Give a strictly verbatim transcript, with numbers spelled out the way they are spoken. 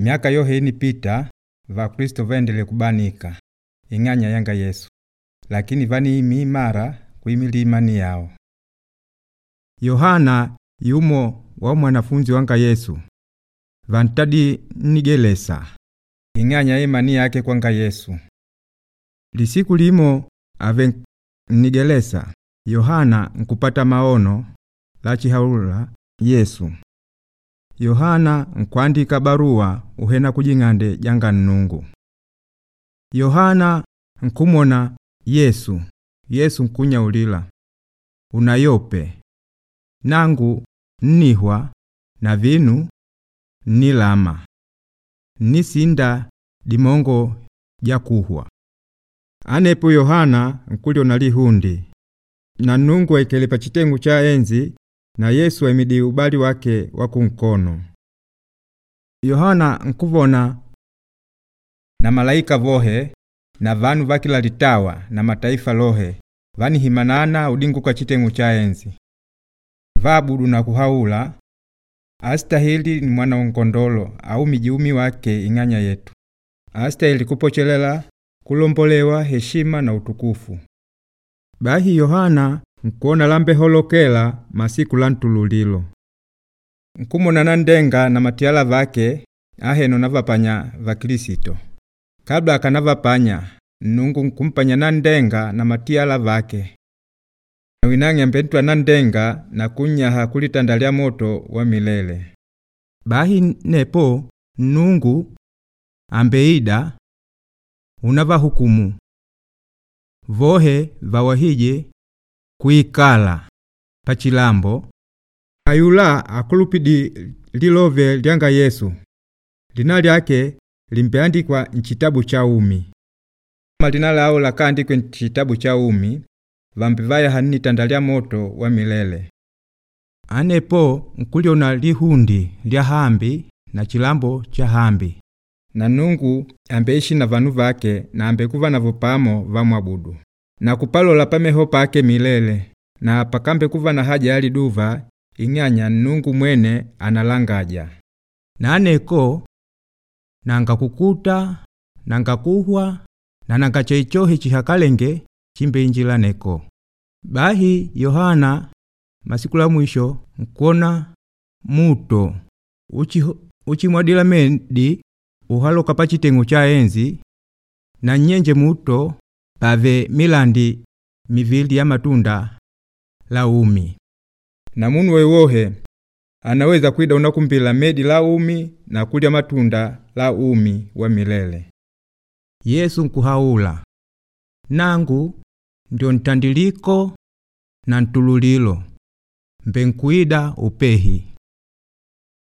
Miaka yohe inipita Vakristo vaendele kubanika ing'anya yanga Yesu, lakini vaniimi imara kuimilila imani yao. Yohana yumo wa mwanafunzi wanga Yesu vantadi nnigelesa ing'anya ya imani yake kwanga Yesu. Lisiku limo ave nnigelesa Yohana nkupata maono lachihaula Yesu. Yohana nkwandika barua uhena kujing'ande janga Nnungu. Yohana nkumona Yesu. Yesu nkunyaulila unayope nangu nnihwa na vinu nnilama nnisinda dimongo jakuhwa. Anepo Yohana nkuliona lihundi na Nnungu aikele pa chitengu cha enzi na Yesu aimidi ubali wake wa kunkono. Yohana nkuvona na malaika vohe na vanu vakila litawa na mataifa lohe vanihimanana udinguka chitengu cha enzi vabudu na kuhaula astahili ni mwana nkondolo au mijiumi wake ing'anya yetu astahili kupochelela kulombolewa heshima na utukufu. Bahi Yohana nkuona lambe holokela masiku la ntululilo nkumona na ndenga na matiala vake aheno navapanya va Kristo. Kabla akanavapanya Nnungu nkumpanya na ndenga na matiala vake winang'e mbentwa na ndenga na kunyaha kulitanda moto wa milele. Bahi nepo Nnungu ambeida unavahukumu vohe vawahije kuikala pachilambo ayula akulupidi lilove lyanga Yesu lina lyake limbeandikwa nchitabu cha umi. Malina lao lakaandikwe nchitabu cha umi vambi vaya hanni tandalia moto wa milele. Anepo nkuliona lihundi lya hambi na chilambo cha hambi na Nungu ambeishi na vanu vake na ambekuva navo pamo vamwabudu na kupalola pameho pake milele na pakambe kuva na haja ya liduva ing'anya Nungu mwene analangaja. Naneko nanga kukuta nanga kuhwa na nanga cheichohi chihakalenge chimbe injila neko. Bahi Yohana masiku la mwisho nkuona muto uchi uchimwadila medi uhaloka pachitengo cha enzi na nyenje muto pave milandi mivili ya matunda la umi. Na munu wewohe anaweza kwida unakumbila medi la umi na kulya matunda la umi wa milele. Yesu nkuhaula nangu ndio ntandiliko na ntululilo mbe nkuida upehi.